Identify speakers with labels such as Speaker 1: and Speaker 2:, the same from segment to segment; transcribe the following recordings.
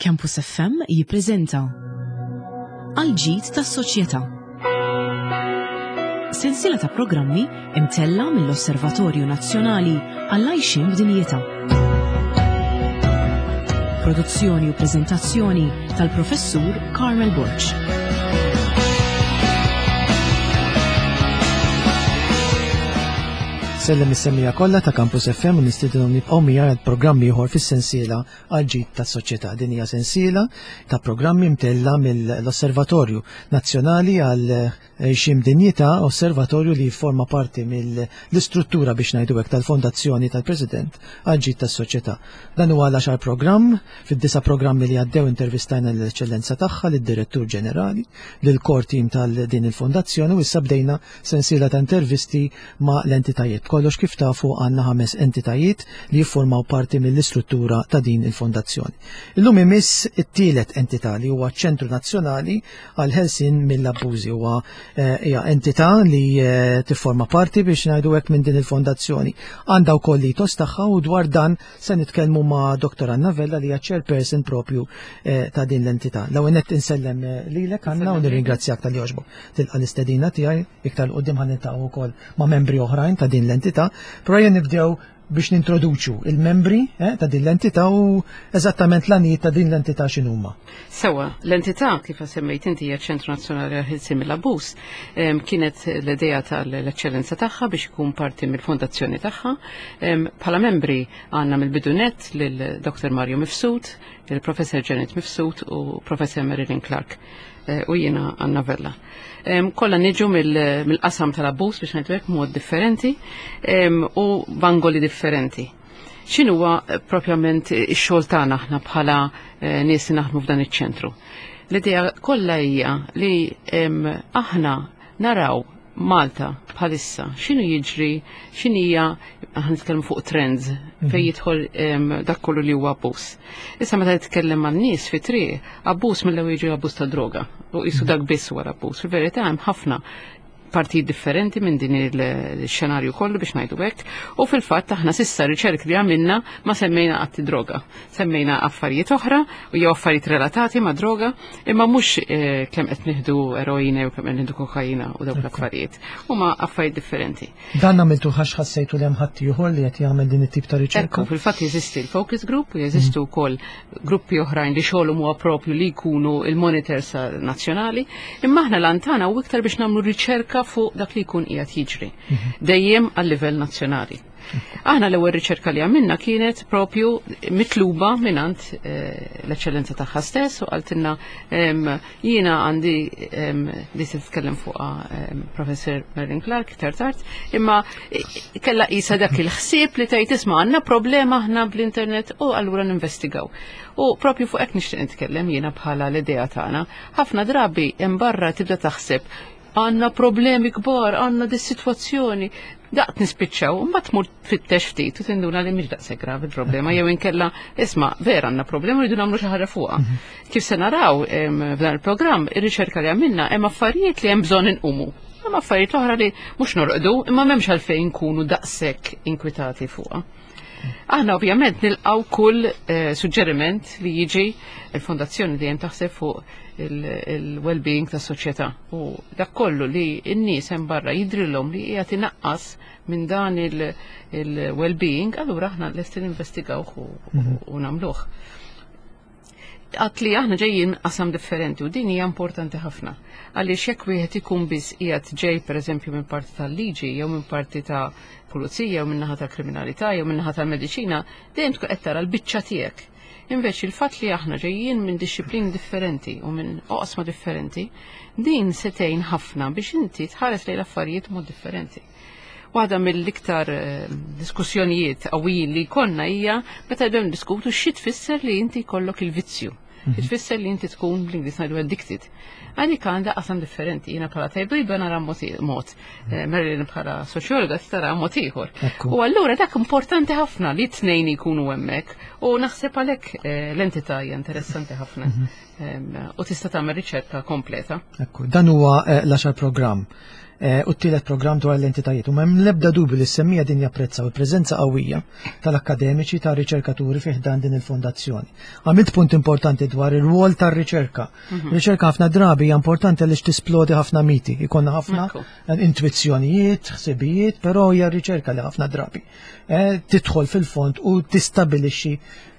Speaker 1: Campus FM jippreżenta Għal ġid tas-soċjetà. Sensiela ta' programmi imtella mill-Osservatorju Nazzjonali għall-Għajxien b'Dinjità. Produzzjoni u preżentazzjoni tal-Professur Carmel Borg.
Speaker 2: Sellem is-semmija kollha ta' Campus FM u nistedinhom nibqgħu miegħi għal programm ieħor fis-sensiela għal ġid tas-soċjetà. Din hija sensiela ta' programmi mtella mill-Osservatorju Nazzjonali għal Xim Dinjità, osservatorju li jifforma parti mill-istruttura biex ngħidu hekk tal-Fondazzjoni tal-President għal ġid tas-soċjetà. Dan huwa l-għaxar programm, fid-disa' programmi li għaddew intervistajna l-Eċċellenza tagħha, lid-Direttur Ġenerali, lill-core team tal-din il-fondazzjoni u issa bdejna sensiela ta' intervisti ma' l-entitajiet. B'kollox kif tafu għandna ħames entitajiet li jiffurmaw parti mill-istruttura ta' din il-fondazzjoni. Illum imiss it-tielet entità li huwa ċ-Ċentru Nazzjonali għall-Ħelsien mill-Abbużi. Huwa eh, hija entità li eh, tifforma parti biex ngħidu hekk minn din il-fondazzjoni. Għandha wkoll l-itos tagħha u dwar dan se nitkellmu ma' Dr. Anna Vella li hija chairperson propju eh, ta' din l-entità. L-ewwel nett insellem lilek Anna u nirringrazzjak tal-li għoġbok tilqa' l-istedina tiegħi. Iktar 'l quddiem ħa niltaqgħu wkoll ma' membri oħrajn ta' din l-entità, però jien nibdew biex nintroduċu il-membri eh, ta' din l-entità u eżattament l-għanijiet ta' din l-entità x'inhuma.
Speaker 3: Sewa, l-entità kif semmejt inti hija ċentru Nazzjonali għall-Ħelsien mill-Abbuż, kienet l-idea tal-eċċellenza tagħha biex ikun parti mill-fondazzjoni tagħha. Bħala membri għandna mill-bidu nett lil Dr. Mario Mifsud, il-Professor Janet Mifsud u Professor Marilyn Clark. Eh, u jiena Anna Vella. Kollha niġu mill-qasam tal-abbuż biex ngħidu hekk mod differenti u b'angoli differenti. X'inhuwa eh, propjament ix-xogħol tagħna aħna bħala eh, nies li naħdmu f'dan iċ-ċentru? L-idea kollha hija li aħna naraw Malta bħalissa x'inhu jiġri, x'inhija aħna nitkellmu fuq trends mhm. fejn jidħol dak kollu li huwa abbuż. Issa meta titkellem man-nies fi triq, abbuż mill-ewwel jiġi abbuż ta' droga u qisu mhm. dak biss wara abbuż. Fil-verità hemm ħafna partijiet differenti minn din il-xenarju kollu biex ngħidu hekk, u fil-fatt aħna sissa riċerk li għamilna ma semmejna qatt droga. Semmejna affarijiet oħra u jew affarijiet relatati ma' droga, Imma mhux eh, kemm qed nieħdu eroina jew kemm qed nieħdu kokaina u dawk l-affarijiet. Huma affarijiet differenti.
Speaker 2: Dan għamiltu ħax ħassejtu li hemm ħadd ieħor li qed jagħmel din it-tip ta' riċerka.
Speaker 3: Ekku, fil-fatt jeżisti l-focus group u jeżistu mm. wkoll gruppi oħrajn li xogħolhom huwa propju li jkunu il-monitors nazzjonali, imma aħna lantana u iktar biex nagħmlu riċerka fuq dak li jkun qiegħed jiġri. Mhm. Dejjem għal livell nazzjonali. Aħna l-ewwel riċerka li għamilna kienet propju mitluba minant eh, l-eċċellenza tagħha stess u qaltilna jiena għandi li se titkellem fuqha Professor Merlin Clark iktar tard, imma eh, kella qisha dak il-ħsieb li tgħid isma' għandna problema aħna bl-internet u allura ninvestigaw. U propju fuq hekk nixtieq nitkellem jiena bħala l-idea tagħna. Ħafna drabi hemm barra tibda taħseb għandna problemi kbar, għandna dis-sitwazzjoni. Daqt nispiċċaw, mbagħad tmur tfittex ftit u tinduna li mhix daqshekk gravi il-problema jew inkella isma' vera għandna problema rridu nagħmlu xi ħaġa fuqha. Mhm. Kif se naraw f'dan il-programm, ir-riċerka li għamilna hemm affarijiet li hemm bżonn inqumu. Hemm affarijiet oħra li mhux norqdu, imma m'hemmx għalfejn nkunu daqshekk inkwitati fuqha. Aħna ovvjament nilqaw kull eh, suġġeriment li jiġi il-fondazzjoni dejjem taħseb fuq il-well-being tas soċjetà u dak kollu li n-nies hemm barra jidrilhom li qiegħed inaqqas minn dan il-well-being, allura aħna lesti ninvestigawh mhm. u nagħmluh. Għat li aħna ġejjin qasam differenti u din hija importanti ħafna. Għaliex jekk wieħed ikun biss qiegħed ġej pereżempju minn parti tal-liġi jew minn parti ta' pulizija jew minn naħa tal-kriminalità jew minn naħa tal-mediċina, dejjem tkun qed tara l-biċċa tiegħek. Invece il-fatt li aħna ġejjin minn disċiplini differenti u minn oqsma differenti, din se tgħin ħafna biex inti tħares lejn l-affarijiet mod differenti. Waħda mill-iktar eh, diskussjonijiet qawwijin li jkollna hija meta jibdew niddiskutu xi tfisser li inti jkollok il-vizzju. Mhm. Tfisser li inti tkun bl-Ingliż ngħidu addicted. Għalik għandha qasam differenti, jiena bħala tabiba nara mod, Marilyn bħala soċjologa tara mod ieħor. U allura dak importanti ħafna li t-tnejn jkunu hemmhekk u naħseb għalhekk l-entità hija interessanti ħafna u tista' tagħmel riċerka kompleta.
Speaker 2: Ekku, dan huwa l-10 programm u t-tielet programm dwar l-entitajiet. U m'hemm l-ebda dubju li s-semmija din japprezzaw il-preżenza qawwija tal-akkademiċi tar-riċerkaturi fih dan din il-fondazzjoni. Għamilt punt importanti dwar ir-rwol tar-riċerka. Riċerka ħafna drabi hija importanti għaliex tisplodi ħafna miti, ikonna ħafna intuizzjonijiet, ħsibijiet, però hija r-riċerka li ħafna drabi tidħol fil-fond u tistabilixxi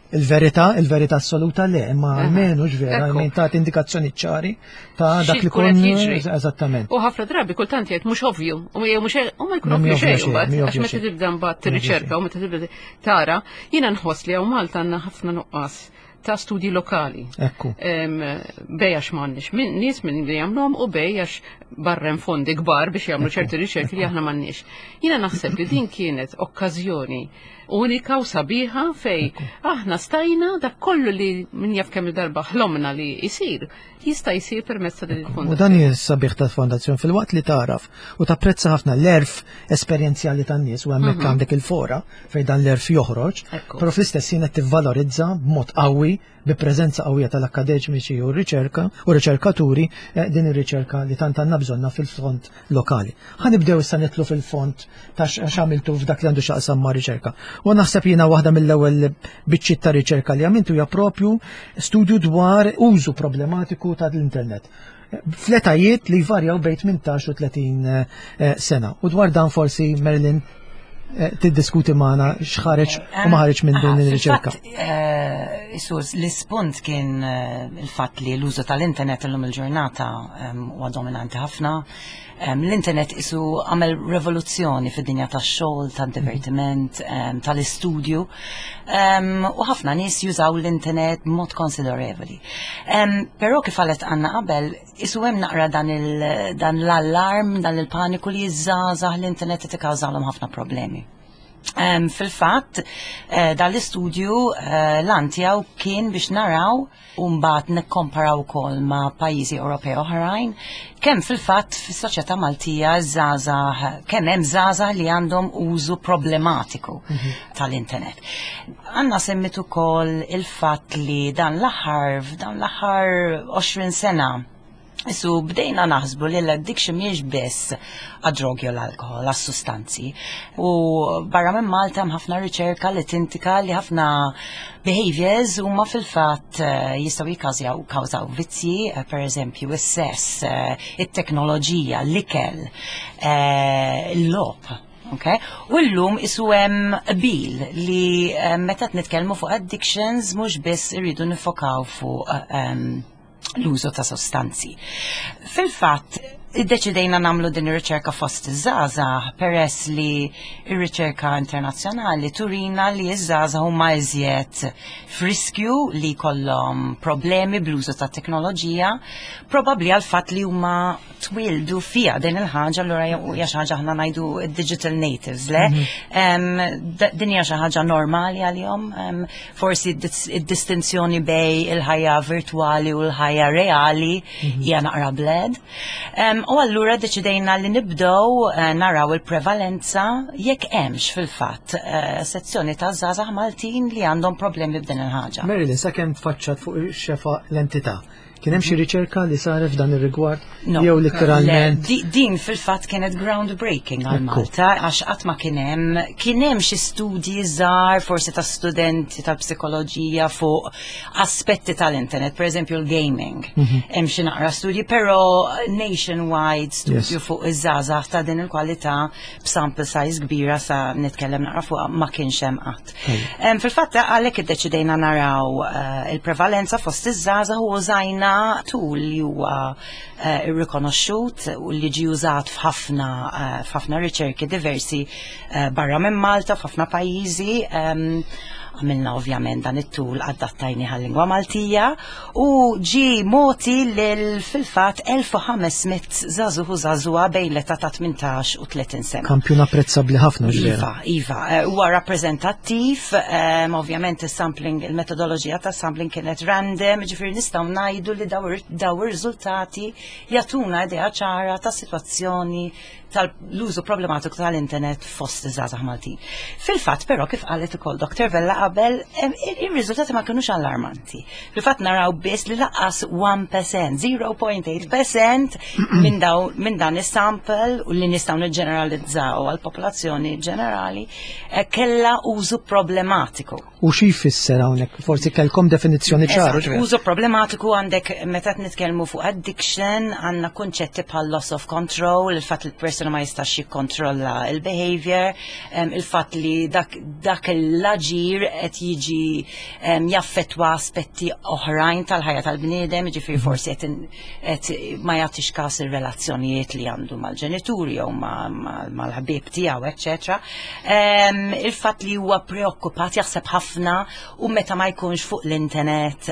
Speaker 2: il-verità, il-verità assoluta le, imma almenu ġvera, almenu ta' indikazzjoni ċari ta' dak li kun
Speaker 3: jiġri.
Speaker 2: Eżattament.
Speaker 3: U ħafna drabi kultant jgħid mhux ovvju, u jew mhux u ma jkun ovvju xejn mbagħad, għax meta tibda mbagħad tirriċerka u meta tibda tara, jiena nħoss li hawn Malta għandna ħafna nuqqas ta' studji lokali.
Speaker 2: Ekku.
Speaker 3: Bej għax m'għandniex min nies minn li jagħmluhom u bej għax barrem fondi kbar biex jagħmlu ċerti riċerki li aħna m'għandniex. Jiena naħseb li din kienet okkażjoni unika u sabiħa fej aħna stajna dak kollu li min jaf kemm darba ħlomna li jsir, jista' jsir permezz ta' din il-fondazzjoni.
Speaker 2: U dan hija sabiħ ta' fondazzjoni fil-waqt li taraf u tapprezza ħafna l-erf esperjenzjali tan-nies u hemmhekk għandek il-fora fejn dan l-erf joħroġ, però fl-istess ħin qed tivvalorizza b'mod qawwi bi preżenza qawwija tal-akkademiċi u r-riċerka u riċerkaturi din ir-riċerka li tant għandna bżonna fil-fond lokali. Ħa nibdew issa nitlu fil-fond ta' x'għamiltu f'dak li għandu x'aqsam ma' riċerka. U naħseb jiena waħda mill-ewwel biċċiet ta' riċerka li għamiltu hija propju studju dwar użu problematiku tal-internet fl-etajiet li jvarjaw bejn 18 u 30 sena. U dwar dan forsi Marilyn tiddiskuti magħna x'ħareġ u ma ħareġ minn din ir-riċerka.
Speaker 4: Sus, l-ispunt kien il-fatt li l-użu tal-internet illum il-ġurnata huwa dominanti ħafna. L-internet isu għamel rivoluzzjoni fid-dinja tax-xogħol, tad-divertiment, tal-istudju. U ħafna nies jużaw l-internet b'mod konsiderevoli. Però kif qalet Anna qabel, isu hemm naqra dan l-allarm, dan il-paniku li ż-żgħażagħ l-internet qed ikkawżalhom ħafna problemi. Fil-fatt, dan l-istudju l-għan tiegħu kien biex naraw u mbagħad nikkomparaw ukoll ma' pajjiżi Ewropej oħrajn kemm fil-fatt fis-soċjetà Maltija żgħażagħ kemm hemm żgħażagħ li għandhom użu problematiku tal-internet. Anna semmit ukoll il-fatt li dan l-aħħar f'dan l-aħħar 20 sena Isu bdejna naħsbu li l-addiction mhijiex biss għad-drogi u l-alkohol, għas-sustanzi. U barra minn Malta hemm ħafna riċerka li tindika li ħafna behaviors huma fil-fatt jistgħu jikkawżaw kawżaw vizzji, per eżempju is-sess, it-teknoloġija, l-ikel, il-logħob. Okay? U llum isu hemm qbil li meta qed nitkellmu fuq addictions mhux biss irridu nifokaw fuq l-użu ta' sostanzi. Fil-fatt, iddeċidejna nagħmlu din ir-riċerka fost iż-żgħażagħ peress li r-riċerka internazzjonali turina li ż-żgħażagħ huma iżjed f'riskju li jkollhom problemi bl-użu ta' teknoloġija, probabbli għal fatt li huma twildu fiha din il-ħaġa, allura hija xi ħaġa aħna ngħidu digital natives, le? Din hija xi ħaġa normali għalihom, forsi id-distinzjoni bej il-ħajja virtuali u l-ħajja reali hija naqra bled. U allura deċidejna li nibdew naraw il-prevalenza jekk hemmx fil-fatt sezzjoni ta' żgħażagħ Maltin li għandhom problemi b'din il-ħaġa.
Speaker 2: Marilyn, sakemm tfaċċat fuq ix-xefa l-entità, kien hemm xi riċerka li saret f'dan ir-rigward?
Speaker 4: No.
Speaker 2: Jew letteralment?
Speaker 4: Le, din fil-fatt kienet groundbreaking għal Malta, għax qatt ma kien hemm, kien hemm xi studji żgħar forsi ta' studenti tal-psikoloġija fuq aspetti tal-internet, per eżempju l-gaming. Hemm xi naqra studji, però nationwide studju fuq iż-żgħażagħ ta' din il-kwalità b'sample size kbira sa nitkellem naqra fuq ma kienx hemm qatt. Fil-fatt għalhekk iddeċidejna naraw il-prevalenza fost iż-żgħażagħ u użajna tool li huwa irrikonoxxut u li ġie użat f'ħafna riċerki diversi barra minn Malta, f'ħafna pajjiżi. Għamilna ovvjament dan it-tool adattajni għal-lingwa Maltija u ġi moti lil fil-fatt 1500 żagħżugħ u żagħżugħa bejn l-età ta' 18 u 30 sena.
Speaker 2: Kampjun apprezzabbli ħafna ġifieri.
Speaker 4: Iva, iva, eh, huwa rappreżentattiv, ehm, ovvjament is-sampling, il-metodoloġija ta' sampling kienet random, ġifieri nistgħu ngħidu li daw ir-riżultati jagħtuna idea ċara ta' sitwazzjoni tal-użu problematiku tal-internet fost iż-żgħażagħ Maltin. Fil-fatt però kif qalet ukoll Dr. Vella qabel, ir-riżultati ma kinux allarmanti. Fil-fatt naraw biss li laqqas 1%, 0.8% minn daw minn dan is-sample u li nistgħu niġġeneralizzaw għall-popolazzjoni ġenerali eh, kellha użu problematiku.
Speaker 2: U xi jfisser hawnhekk? Forsi kellkom definizzjoni ċara.
Speaker 4: Użu problematiku għandek meta nitkellmu fuq addiction, għandna kunċetti bħal loss of control, il-fatt li l-persuna ma jistax jikkontrolla il-behavior, il-fatt li dak, dak l-aġir qed jiġi jaffettwa aspetti oħrajn tal-ħajja tal-bniedem, ġifieri mhm. forsi qed ma jagħtix każ ir-relazzjonijiet li għandu mal-ġenituri jew mal-ħbieb tiegħu, eċċetera. Il-fatt li huwa preokkupat jaħseb ħafna u meta ma jkunx fuq l-internet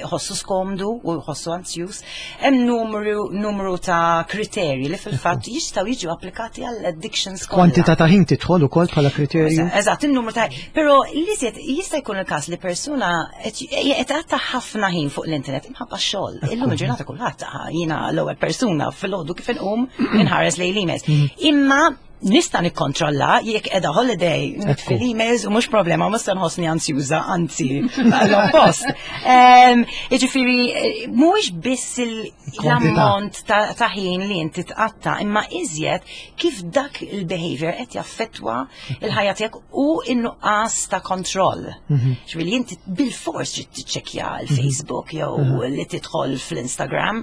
Speaker 4: iħossu skomdu u jħossu anzjuż. Hemm numru, numru ta' kriterji li fil-fatt jistgħu jiġu applikati għall addictions
Speaker 2: kollha. Kwantità ta' ħin tidħol ukoll bħala kriterju.
Speaker 4: Eżatt, in-numru ta' però li jista' jkun il-każ li persuna qed tgħatta ħafna ħin fuq l-internet imħabba x-xogħol. Illum il-ġurnata kulħadd jiena l-ewwel persuna fil-għodu kif inqum inħares lejn l-emails. Mm. Imma nista' nikkontrolla jekk qiegħda holiday nitfi l-emails u mhux problema mhux se nħossni ansjuża, anzi l-oppost. Jiġifieri mhuwiex biss l-ammont ta' ħin li inti tqatta' imma iżjed kif dak il-behavior qed jaffettwa il-ħajja tiegħek u n-nuqqas ta' kontroll. Mhm. Ġifieri inti bil-fors trid tiċċekkja l-Facebook jew mhm. li tidħol fl-Instagram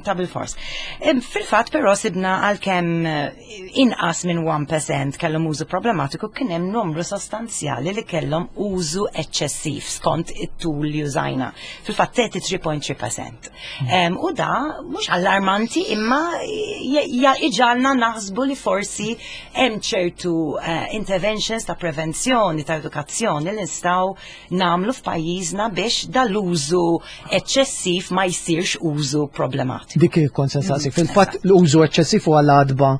Speaker 4: ta' bil-fors. Fil-fatt però sibna għalkemm eh, inqas minn 1% kellhom użu problematiku kien hemm numru sostanzjali li kellhom użu eċċessiv skont it-tul li użajna. Fil-fatt 33.3%. Hmm. U da mhux allarmanti imma iġalna naħsbu li forsi hemm ċertu eh, interventions ta' prevenzjoni, ta' edukazzjoni li nistgħu nagħmlu f'pajjiżna biex dal-użu eċċessiv ma jsirx użu problematiku.
Speaker 2: Dik il-kont sensaqsi. Fil-fatt l-użu eċċessiv huwa l-għadba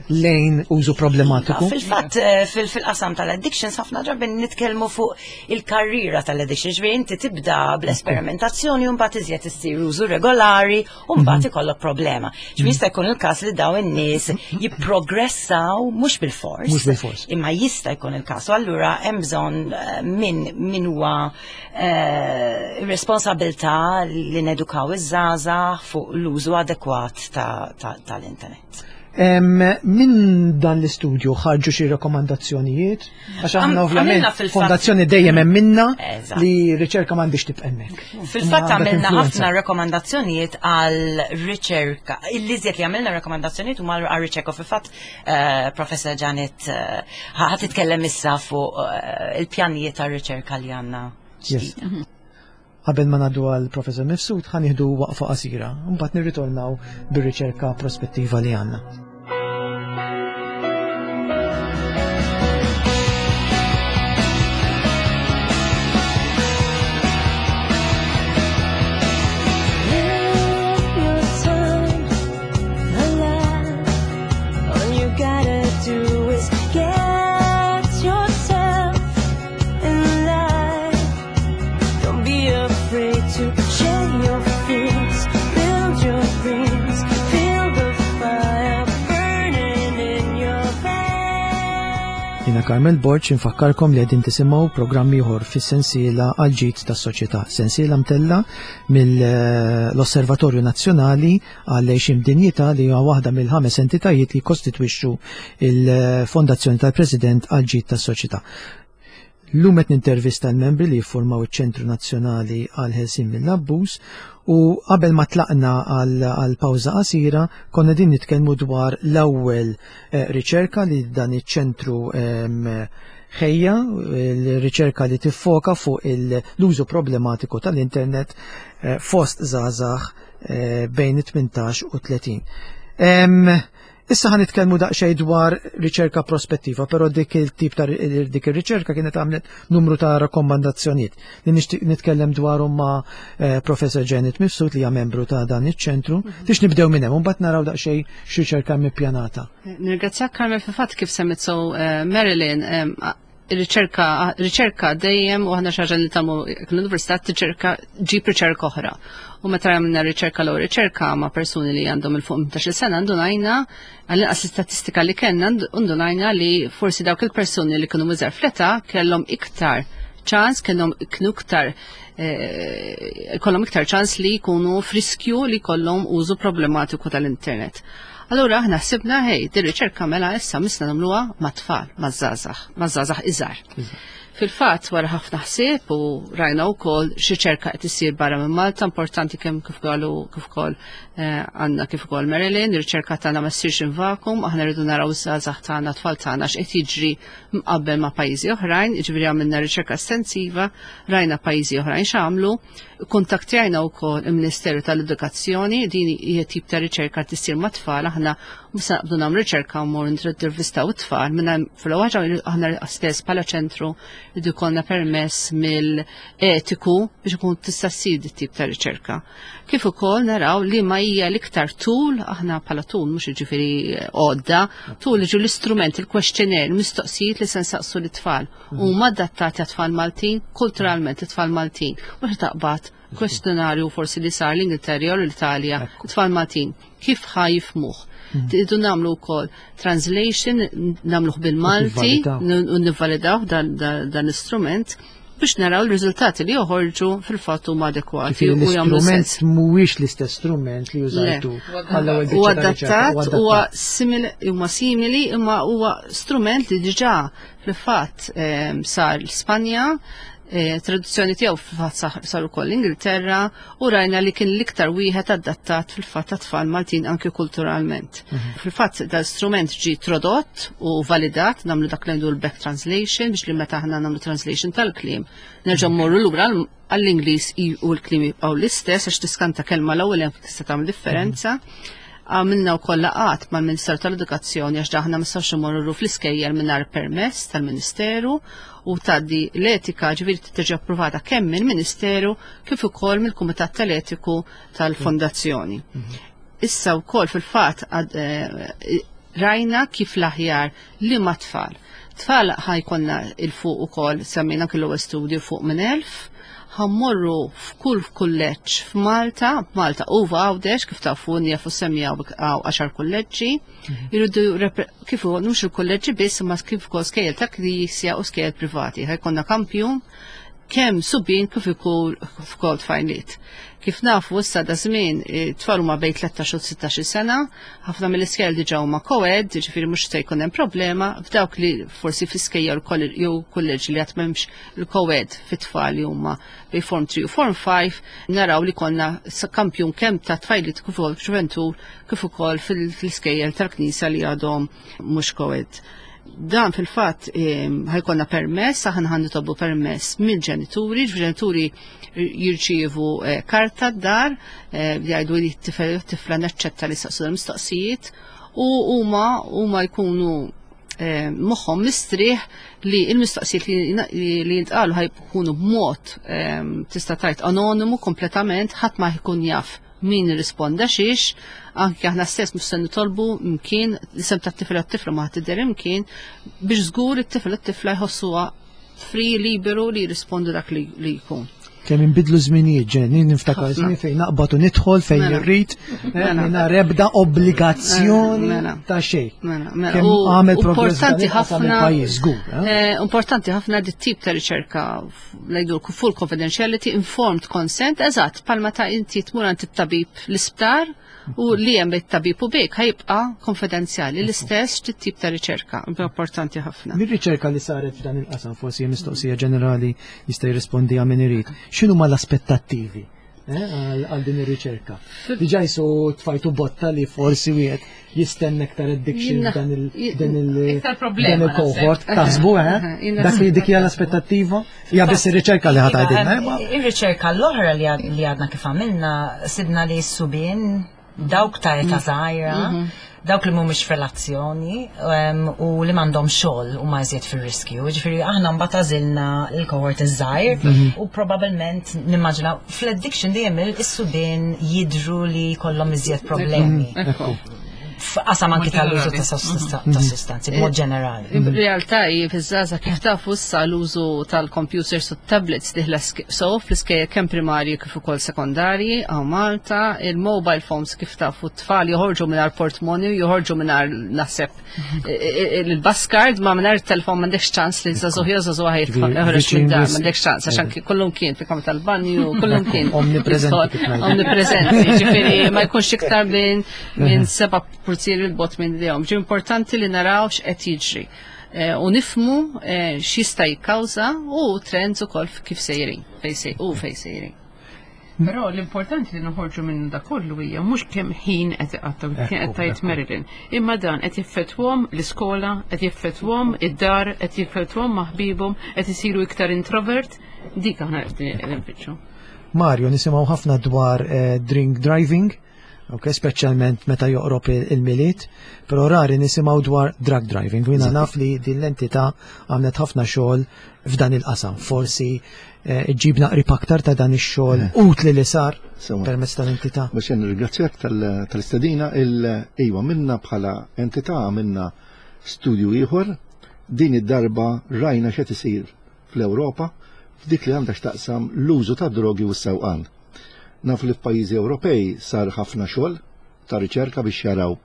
Speaker 2: lejn użu problematiku.
Speaker 4: Fil-fatt eh, fil-qasam tal-addictions ħafna drabi nitkellmu fuq il-karriera tal-addiction, ġifieri inti tibda bl-esperimentazzjoni u mbagħad iżjed issir użu regolari u mbagħad mhm. ikollok problema. Ġifieri jista' jkun il-każ li dawn in-nies jipprogressaw mhux bil-fors.
Speaker 2: Mhux bil-fors.
Speaker 4: Imma jista' jkun il-każ. U allura hemm bżonn eh, min min huwa eh, responsabilità li nedukaw iż-żgħażagħ fuq l-użu adekwat tal-internet.
Speaker 2: Minn dan l-istudju ħarġu xi rekomandazzjonijiet? Għax aħna ovvjament fondazzjoni dejjem hemm minna li riċerka m'għandix tibqa' hemmhekk.
Speaker 4: Fil-fatt għamilna ħafna rekomandazzjonijiet għal riċerka. Il-liżjed li għamilna rekomandazzjonijiet huma għal riċerka fil-fatt eh, Professor Janet eh, ħa titkellem issa fuq eh, il-pjanijiet ta' riċerka li għandna.
Speaker 2: Qabel ma ngħaddu għal Professor Mifsud ħa nieħdu waqfa qasira, mbagħad nirritornaw bir-riċerka prospettiva li għandna. Jina Carmel Borg infakkarkom li qegħdin tisimgħu programm ieħor fis-sensiela għal ġid tas-soċjetà. Sensiela mtella mill-Osservatorju Nazzjonali għal għejxien b'dinjità li huwa waħda mill-ħames entitajiet li jikkostitwixxu il-Fondazzjoni tal-President għal ġid tas-soċjetà. Llum qed nintervista l-membri li jiffurmaw iċ-Ċentru Nazzjonali għal Ħelsien mill-Abbuż u qabel ma tlaqna għal pawża qasira konna din nitkellmu dwar l-ewwel eh, riċerka li dan iċ-ċentru ehm, ħejja, l-riċerka li tiffoka fuq l-użu problematiku tal-internet eh, fost żgħażagħ eh, bejn 18 u 30. Issa ħa nitkellmu daqsxejn dwar riċerka prospettiva, però dik il-tip ta' dik ir-riċerka kienet għamlet numru ta' rakkomandazzjonijiet li nixtieq nitkellem dwarhom ma' eh, Professor Janet Mifsud li hija membru ta' dan iċ-ċentru. Tix nibdew minn hemm, mbagħad naraw daqsxejn x'riċerka ippjanata.
Speaker 3: Nirringrazzjak Carmel fil-fatt kif semmit so eh, Marilyn riċerka riċerka dejjem u aħna xi ħaġa li tagħmlu l-università tiċerka ġib riċerka oħra. U meta għamilna riċerka l riċerka ma' persuni li għandhom il fuq 15 sena ndunajna għall-inqas l-istatistika li kellna ndunajna li forsi dawk il-persuni li kienu miżar fl-età kellhom iktar ċans, kellhom kienu iktar eh, kollhom iktar ċans li jkunu friskju li kollhom użu problematiku tal-internet. Allura aħna ħsibna hej, din riċerka mela issa misna nagħmluha mat-tfal, maż-żgħażagħ, maż-żgħażagħ iżgħar. Fil-fatt wara ħafna ħsieb u rajna wkoll xi ċerka qed issir barra minn Malta, importanti kemm kif qalu kif ukoll eh, għandna kif ukoll Marilyn, ir-riċerka tagħna ma ssirx in vakum, aħna rridu naraw iż-żgħażagħ tagħna, tfal tagħna x'qed jiġri mqabbel ma' pajjiżi oħrajn, jiġifieri għamilna riċerka estensiva, rajna pajjiżi oħrajn x'għamlu, Kuntattjajna wkoll il-Ministeru tal-Edukazzjoni, din hija tip ta' riċerka tissir ma' tfal, aħna mhux se naqbdu nagħmlu riċerka u mmorru nintervistaw it-tfal, minn fil-ħaġa aħna stess bħala ċentru rridu jkollna permess mill-etiku biex ikun tista' ssir dit tip ta' riċerka. Kif ukoll naraw li ma hija l-iktar tul, aħna bħala tul mhux jiġifieri għodda, tul jiġu l-istrument, il-questionnaire, il-mistoqsijiet li se nsaqsu lit-tfal. Huma adattati għat-tfal Maltin, kulturalment it-tfal Maltin. Mhux taqbad kwestjonarju forsi li sar l-Ingilterra u l-Italja, it-tfal Maltin, kif ħa jifmuh. Tidu nagħmlu wkoll translation, nagħmluh bil-Malti, u nivvalidaw dan l-istrument biex naraw l-riżultati li joħorġu fil-fatt huma adekwati.
Speaker 2: U l-istrument mhuwiex l-istess strument li użajtu
Speaker 3: għall-ewwel Huwa adattat, huwa simili, huma simili, imma huwa strument li diġà Fil-fatt ehm, sar l-Spanja, eh, traduzzjoni tiegħu fil-fatt sar ukoll l-Ingilterra u rajna li kien l-iktar wieħed adattat fil-fatt ta' tfal Maltin anki kulturalment. Fil-fatt dal-strument ġi trodott u validat nagħmlu dak li l-back translation biex li meta aħna nagħmlu translation tal-kliem nerġa' mmorru lura għall-Ingliż u l-kliem jibqgħu l-istess għax tiskanta kelma l-ewwel hemm tista' tagħmel differenza. Għamilna wkoll laqgħat mal-Ministeru tal-Edukazzjoni għax daħna ma nistgħux imorru fl-iskejjel mingħajr permess tal-Ministeru u tgħaddi l-etika ġifieri tiġi approvata kemm mill-Ministeru kif ukoll mill-Kumitat tal-Etiku tal-Fondazzjoni. Issa wkoll fil-fatt eh, rajna kif l-aħjar li ma tfal. Tfal ħajkonna il-fuq ukoll semmejna kellu studju fuq minn 1000, ħammorru f'kull kulleġġ f'Malta, Malta u f'Għawdex, kif tafu jafu semmi għaw 10 kulleġġi, jridu kif mhux il-kulleġġi biss imma kif ukoll skejjel ta' knisja u skejjel privati. Ħajkonna kampjun kemm subien kif ukoll tfajliet. Kif nafu issa da żmien tfal huma bejn 13 u 16 sena, ħafna mill-iskejjel diġà huma co-ed, jiġifieri mhux se jkun hemm problema, f'dawk li forsi fl-iskejjel jew kulleġġi li għad m'hemmx il-co-ed fit-tfal li huma bejn form 3 u form 5, naraw li konna kampjun kemm ta' tfajliet kif ukoll ġuventur kif ukoll fil-iskejjel tal-knisja li għadhom mhux co-ed. Dan fil-fatt ħajkonna permess, aħna ħan nitolbu permess mill-ġenituri, ġenituri jirċievu eh, karta d-dar eh, li jgħidu li t-tifel tifla naċċetta li saqsu l-mistoqsijiet u huma huma jkunu eh, moħħom mistrieħ li il-mistoqsijiet li jintqalu ħajkunu b'mod tista' tajt anonimu kompletament ħadd ma jkun jaf min irrisponda xiex, anke aħna stess mhux se nitolbu mkien l-isem tat-tifel u t-tifla ma tidher imkien biex żgur it-tifel u t-tifla jħossuha free liberu li jirrispondu dak li jkun.
Speaker 2: Kemm inbidlu żminijiet ġen, niftakar żmien fejn naqbad u nidħol fejn mela. irrid, eh, mela. mingħajr ebda obbligazzjoni mela. ta' xejn.
Speaker 3: Mela, mela. Għamel importanti ħafna pajjiż żgur. Eh? Eh, importanti ħafna dit tip ta' riċerka ngħidu full confidentiality, informed consent, eżatt, palma ta' inti tmur għand it-tabib l-isptar u li hemm it-tabib u bik ħajibqa' konfidenzjali l-istess tip ta' riċerka, importanti ħafna.
Speaker 2: Mir-riċerka li saret f'dan il-qasam forsi mistoqsija ġenerali jista' jirrispondi min irid. X'inhuma l-aspettattivi eh, għal din ir-riċerka? Diġà jisu tfajtu botta li forsi wieħed jistenna iktar addiction dan il dan il dan il-cohort taħsbu eh? Dak li dik hija l-aspettattiva? Hija biss ir-riċerka li ħadd għidilna.
Speaker 4: Eh, ir-riċerka l-oħra li għadna kif għamilna sibna li s-subien dawk ta' età mm. żgħira mhm. Dawk li mhumiex f'relazzjoni u li m'għandhom xogħol huma iżjed fir-riskju. Ġifieri aħna mbagħad għażilna l-cohort iż-żgħir u probabbilment nimmaġina fl-addiction dejjem is-subien jidhru li jkollhom iżjed problemi. F'qasam anki tal-użu ta' sostanzi b'mod ġenerali.
Speaker 3: In realtà hi fiż-żgħażagħ kif tafu issa l-użu tal-computers u tablets diħla so fl-iskejjel kemm primarji kif ukoll sekondarji hawn Malta, il-mobile phones kif tafu t-tfal joħorġu mingħajr portmonju, joħorġu mingħajr naħseb il-bus card ma mingħajr telefon m'għandekx ċans li żagħżugħ jew żagħżugħa joħroġ minn dar, m'għandekx ċans għax anki kullum kien fi kamra tal-banju, kullum kien.
Speaker 2: Omnipresenti kif ngħidu.
Speaker 3: Omnipresenti, ġifieri ma jkunx iktar minn 7 purtieri l-bot minn dejhom. Ġi importanti li naraw x'qed jiġri u nifmu x'jista' jikkawża u trends ukoll kif sejrin, fejn u fejn sejrin. Però l-importanti li noħorġu minn da kollu hija mhux kemm ħin qed iqattgħu, kien qed tgħid Marilyn, imma dan qed jeffettwhom l-iskola, qed jeffettwhom id-dar, qed jeffettwhom ma' ħbibhom, qed isiru iktar introvert, dik aħna qed nfittxu.
Speaker 2: Mario, nisimgħu ħafna dwar drink driving, ok, speċjalment meta joqrob il-Milied, però rari nisimgħu dwar drug driving. U jiena naf li din l-entità għamlet ħafna xogħol f'dan il-qasam. Forsi ġibna qrib aktar ta' dan ix-xogħol utli li sar permezz tal-entità.
Speaker 5: Biex nirringrazzjak tal-istedina, iva minna bħala entità għamilna studju ieħor, din id-darba rajna x'qed isir fl-Ewropa f'dik li għandha x'taqsam l-użu ta' drogi u s-sewqan. Naf li f'pajjiżi Ewropej sar ħafna xogħol ta' riċerka biex jaraw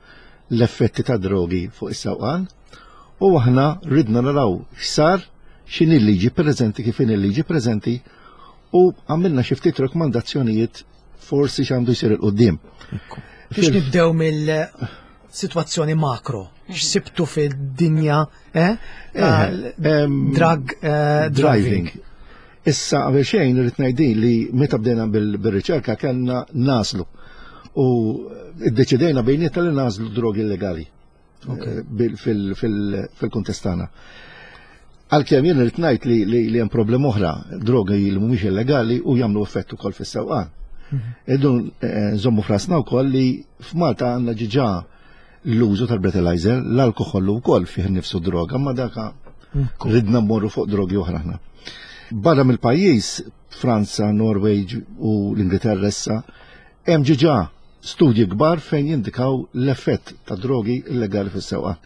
Speaker 5: l-effetti ta' drogi fuq is-sewqan u aħna ridna naraw x'sar, x'inhi l-liġi preżenti, kif inhi l-liġi preżenti u għamilna xi ftit rakkomandazzjonijiet forsi x'għandu jsir il-qudiem.
Speaker 2: Biex nibdew mill-sitwazzjoni makro, x'sibtu fid-dinja drug driving?
Speaker 5: Issa qabel xejn irrid ngħidin li meta bdejna bil-riċerka kellna naslu u iddeċidejna bejnietna li nażlu drogi illegali fil-kuntest tagħna. Għalkemm jien irrid ngħid li hemm problema oħra, drogi li mhumiex illegali u jagħmlu effett ukoll fis-sewqan. Irridu nżommu f'rasna wkoll li f'Malta għandna ġiġa l-użu tal-breathalyzer, l-alkoħol ukoll fih nifsu droga, ma daka ridna mmorru fuq drogi oħra aħna. Barra mill-pajjiż, Franza, Norway u l-Ingilterra issa, hemm ġiġa studji kbar fejn jindikaw l-effett ta' drogi illegali fis-sewqan.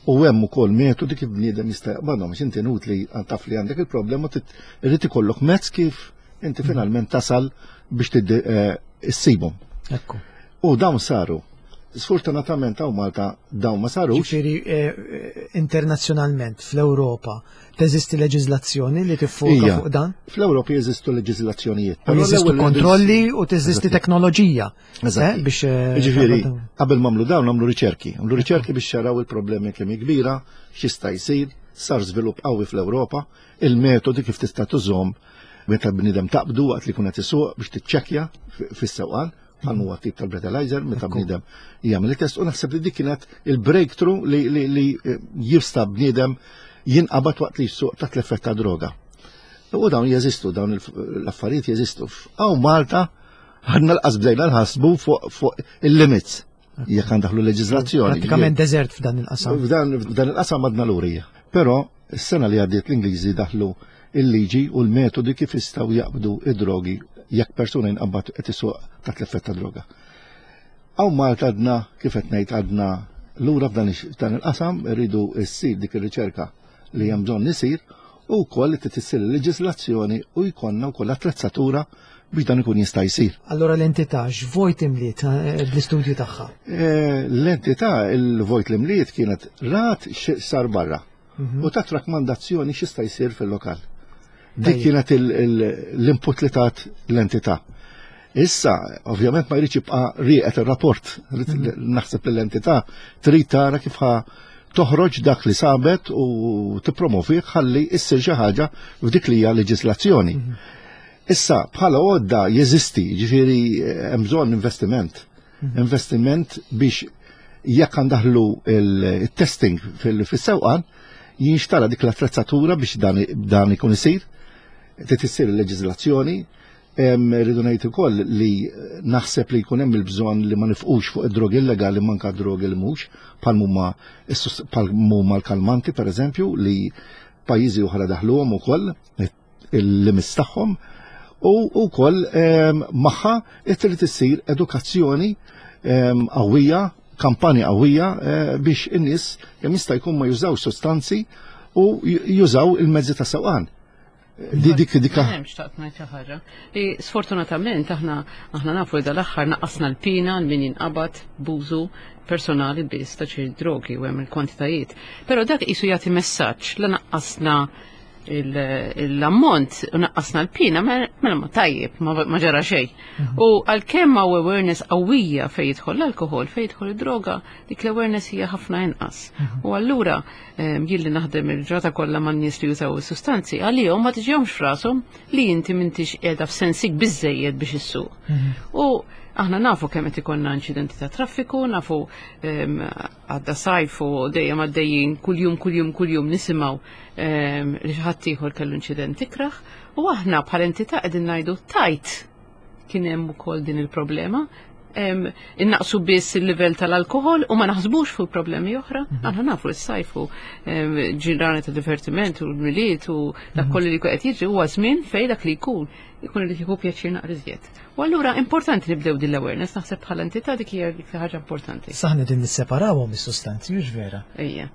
Speaker 5: U hemm ukoll metodi kif bniedem jista' jaqbadhom, għax inti inutli taf li għandek il-problema, irid ikollok mezz kif inti finalment tasal biex issibhom. U dawn saru. Sfortunatament hawn Malta dawn ma sarux.
Speaker 2: Ġifieri internazzjonalment fl-Ewropa teżisti leġiżlazzjoni li tiffoka fuq dan?
Speaker 5: Fl-Ewropa jeżistu leġiżlazzjonijiet.
Speaker 2: U jeżistu kontrolli u teżisti teknoloġija. Biex
Speaker 5: Ġifieri, qabel m'għamlu dawn għamlu riċerki. Għamlu riċerki biex jaraw il-problemi kemm hi kbira, x'jista' jsir, sar żvilupp qawwi fl-Ewropa, il-metodi kif tista' tużhom meta bniedem taqbdu waqt li jkun qed isuq biex tiċċekkja fis-sewqan, bħal huwa tip tal-breathalyzer meta bniedem jagħmel it-test u naħseb li dik kienet il-breakthrough li jista' bniedem jinqabad waqt li jsuq taħt l-effett ta' droga. U dawn jeżistu, dawn l-affarijiet jeżistu. Hawn Malta ħadna l-qas bdejna nħassbu fuq il-limits jekk għandaħlu leġiżlazzjoni.
Speaker 2: Pratikament deżert f'dan il-qasam.
Speaker 5: F'dan il-qasam għadna lurija. Però s-sena li għaddiet l-Ingliżi daħlu il-liġi u l-metodi kif jistgħu jaqbdu id-drogi jekk persuna jinqabad qed isuq taħt l-effett ta' droga. Hawn Malta għadna, kif qed ngħid, għadna lura f'dan il-qasam, irridu ssir dik ir-riċerka li hemm bżonn isir u wkoll li tissir il-leġiżlazzjoni u jkollna wkoll attrezzatura biex dan ikun jista' jsir.
Speaker 2: Allora l-entità x'vojt imliet bl-istudju tagħha?
Speaker 5: L-entità il-vojt li mliet kienet rat x'sar barra u tat rakkomandazzjoni x'jista' jsir fil-lokal. Dik kienet l-input li tat l-entità. Issa, ovvjament ma jridx jibqa' rieqed ir-rapport. Naħseb li l-entità trid tara kif ħa toħroġ dak li sabet u tippromovi ħalli issir xi ħaġa f'dik li hija leġislazzjoni. Issa, bħala għodda jeżisti, ġifieri hemm bżonn investiment. Investiment biex jekk għandaħlu il-testing fis-sewqan, jinxtara dik l-attrezzatura biex dan ikun isir, trid issir il-leġiżlazzjoni. Rridu ngħid ukoll li naħseb li jkun hemm il-bżonn li ma nifqux fuq id-drogi illegali manka drogi li mhux bħal huma l-kalmanti pereżempju li pajjiżi oħra daħluhom ukoll il-limits tagħhom u wkoll magħha trid issir edukazzjoni qawwija, kampanja qawwija eh, biex in-nies kemm jista' jkun ma jużawx sostanzi u jużaw il-mezzi ta' sewqan. Di dik dik.
Speaker 3: Hemm xtaqt ngħid xi ħaġa. Sfortunatament aħna aħna nafu li dal-aħħar naqqasna l-pina għal min jinqabad b'użu personali biss ta' xi drogi u hemm il-kwantitajiet. Però dak qisu jagħti messaġġ la naqqasna l-ammont u naqqasna l-pina, mela ma tajjeb, ma ġara xejn. Mhm. U għalkemm hawn awareness qawwija fejn jidħol l-alkohol, fejn jidħol id-droga, dik l-awareness hija ħafna inqas. Mhm. U allura jien li naħdem il-ġrata kollha man nies li jużaw is-sustanzi, għalihom ma tiġihomx f'rashom li inti m'intix qiegħda f'sensik biżejjed biex issuq. Mhm. U aħna nafu kemm qed ikollna inċidenti ta' traffiku, nafu għadda sajf u dejjem għaddejjin kuljum kuljum kuljum nisimgħu li xi ħadd ieħor kellu inċident ikrah u aħna bħala entità qegħdin ngħidu tajt kien hemm ukoll din il-problema. Innaqsu biss il-livell tal-alkohol u ma naħsbux fuq problemi oħra. Mhm. Aħna nafu s-sajfu ġirani ta' divertiment u l-miliet u dak mhm. kollu li qed jiġri huwa żmien fejn dak li jkun ikun irid jieħu pjaċir naqra iżjed. U allura importanti nibdew din l-awareness, naħseb bħala entità dik hija ħaġa importanti.
Speaker 2: Saħna din nisseparawhom is-sustanzi, hux vera?
Speaker 3: Ejja.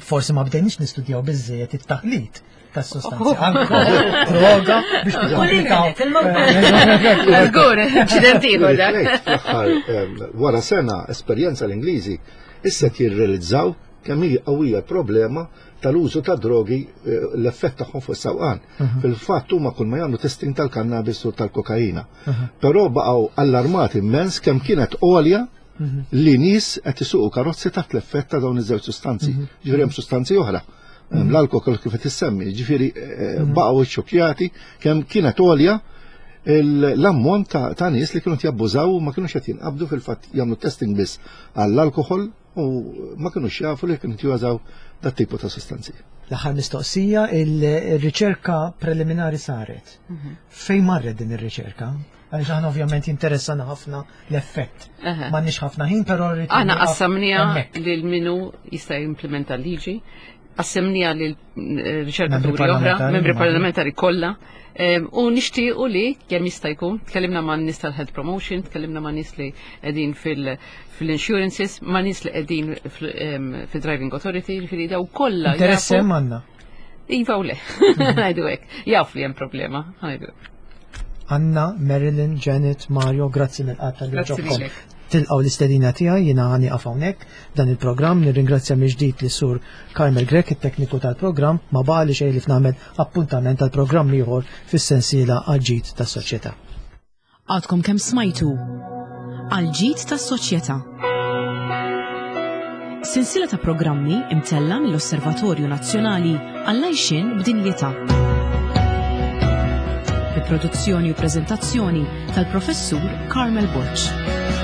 Speaker 2: Forsi ma bdejniex nistudjaw biżżejjed it-taħlit tas-sostanzi. Alkohol, droga, biex
Speaker 4: nikkomplikaw.
Speaker 3: Żgur, inċident ieħor
Speaker 5: dak. Wara sena esperjenza l-Ingliżi issa jirrealizzaw kemm hi qawwija problema tal-użu ta' drogi eh, l-effett tagħhom fuq is-sewqan. Mhm. Fil-fatt huma kull ma jagħmlu testing tal-kannabis u tal-kokaina. Mhm. Però baqgħu allarmati immens kemm kienet għolja mhm. li nies qed isuqu karozzi taħt l-effett ta' dawn iż-żewġ sustanzi. Mhm. Ġifieri hemm sustanzi oħra. Mhm. L-alkohol kif qed issemmi, ġifieri eh, baqgħu xokjati kemm kienet għolja l-ammont ta' nies li kienu jabbużaw u ma kienux qed jinqabdu fil-fatt jagħmlu testing biss għall-alkohol u ma kienux jafu li kienu jużaw dat tipu ta' sustanzi.
Speaker 2: L-aħħar mistoqsija, il-riċerka preliminari saret. Fejn marret din ir-riċerka? Għaliex aħna ovvjament jinteressana ħafna l-effett. M'għandniex ħafna ħin, però rrid.
Speaker 3: Aħna qassamniha lil minu jista' jimplementa l-liġi, qassamniha lil eh, riċerkaturi oħra, membri parlamentari kollha. U nixtiequ li kemm jista' jkun, tkellimna ma' nies tal-health promotion, tkellimna ma' nies li qegħdin fil-insurances, ma' nies li qegħdin fil-driving authority, ġifieri daw kollha.
Speaker 2: Interess hemm għandna.
Speaker 3: Iva u le, ngħidu hekk. Jaf li hemm problema, ngħidu hekk.
Speaker 2: Anna, Marilyn, Janet, Mario, grazzi mill-qatt tal ġobkom. Tilqaw l-istedina tiegħi jiena ħani hawnhekk dan il-programm nirringrazzja mill-ġdid li sur Carmel Grech it-tekniku tal-programm ma baqa li xejn li f'nagħmel appuntament tal-programm ieħor fis-sensiela għal-ġid tas-soċjetà.
Speaker 1: Għadkom kemm smajtu Għall-ġid tas-soċjetà. Sensiela ta' programmi imtella mill-Osservatorju Nazzjonali għall-Għajxien b'Dinjità. Bi produzzjoni u preżentazzjoni tal-Professur Carmel Borg.